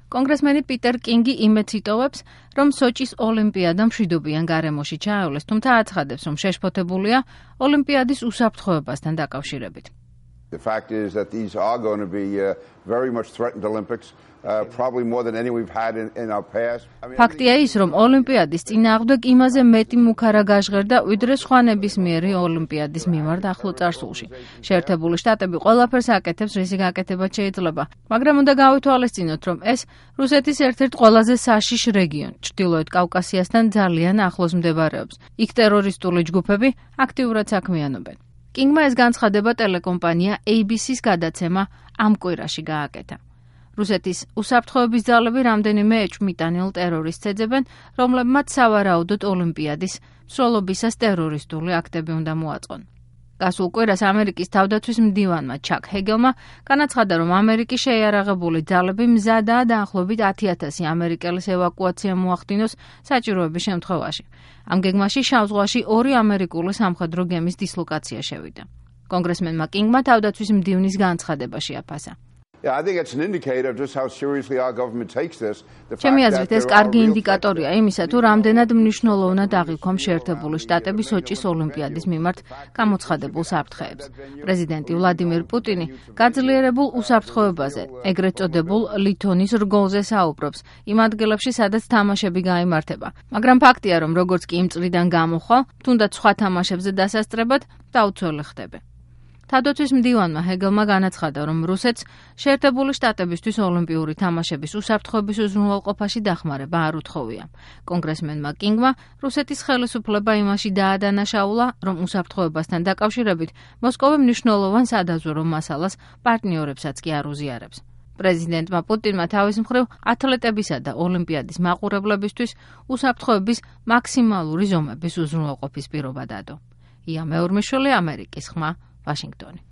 კონგრესმენი პიტერ კინგი იმედს იტოვებს, რომ სოჭის ოლიმპიადა მშვიდობიან გარემოში ჩაევლეს, თუმცა აცხადებს, რომ შეშფოთებულია ოლიმპიადის უსაფრთხოებასთან დაკავშირებით. The fact is that these are going to be very much threatened Olympics, probably more than any we've had in our past. ფაქტია ის, რომ ოლიმპიადის წინააღმდეგ იმაზე მეტი მუქარა გაჟღერდა, ვიდრე სხვა ნებისმიერი ოლიმპიადის მიმართ ახლო წარსულში. შეერთებული შტატები ყველაფერს აკეთებს, რისი გაკეთებაც შეიძლება, მაგრამ უნდა გავითვალისწინოთ, რომ ეს რუსეთის ერთ-ერთ ყველაზე საშიშ რეგიონი, ჩრდილოეთ კავკასიასთან ძალიან ახლოს მდებარეობს. იქ ტერორისტული ჯგუფები აქტიურად საქმიანობენ. კინგმა ეს განცხადება ტელეკომპანია ABC-ს გადაცემა ამ კვირაში გააკეთა. რუსეთის უსაფრთხოების ძალები რამდენიმე ეჭვმიტანილ ტერორისტს ეძებენ, რომლებმაც სავარაუდოდ ოლიმპიადის მსვლელობისას ტერორისტული აქტები უნდა მოაწყონ. გასულ კვირას ამერიკის თავდაცვის მდივანმა ჩაკ ჰეგელმა განაცხადა, რომ ამერიკის შეიარაღებული ძალები მზადაა დაახლოებით 10,000 ამერიკელის ევაკუაცია მოახდინოს საჭიროების შემთხვევაში. ამ გეგმაში შავ ზღვაში 2 ამერიკული სამხედრო გემის დისლოკაცია შევიდა. კონგრესმენმა კინგმა თავდაცვის მდივნის განცხადება შეაფასა. I think it's an indicator of just how seriously our government takes this. ჩემი აზრით ეს კარგი ინდიკატორია იმისა, თუ რამდენად მნიშვნელოვნად აღიქვამს შეერთებული შტატები სოჭის ოლიმპიადის მიმართ გამოცხადებულ საფრთხეებს. პრეზიდენტი ვლადიმირ პუტინი გაძლიერებულ უსაფრთხოებაზე, ეგრეთ წოდებულ ლითონის რგოლზე საუბრობს იმ ადგილებში, სადაც თამაშები გაიმართება. მაგრამ ფაქტია, რომ როგორც კი იმ წრიდან გამოხვალ, თუნდაც სხვა თამაშებზე დასასწრებად დაუცველი ხდება. თავდაცვის მდივანმა ჰეგელმა განაცხადა, რომ რუსეთს შეერთებული შტატებისთვის ოლიმპიური თამაშების უსაფრთხოების უზრუნველყოფაში დახმარება არ უთხოვია. კონგრესმენმა კინგმა რუსეთის ხელისუფლება იმაში დაადანაშაულა, რომ უსაფრთხოებასთან დაკავშირებით მოსკოვი მნიშვნელოვან სადაზვერო მასალას პარტნიორებსაც კი არ უზიარებს. პრეზიდენტმა პუტინმა თავის მხრივ ათლეტებისა და ოლიმპიადის მაყურებლებისთვის უსაფრთხოების მაქსიმალური ზომების უზრუნველყოფის პირობა დადო. ია მეორმიშვილი, ამერიკის ხმა, ვაშინგტონი.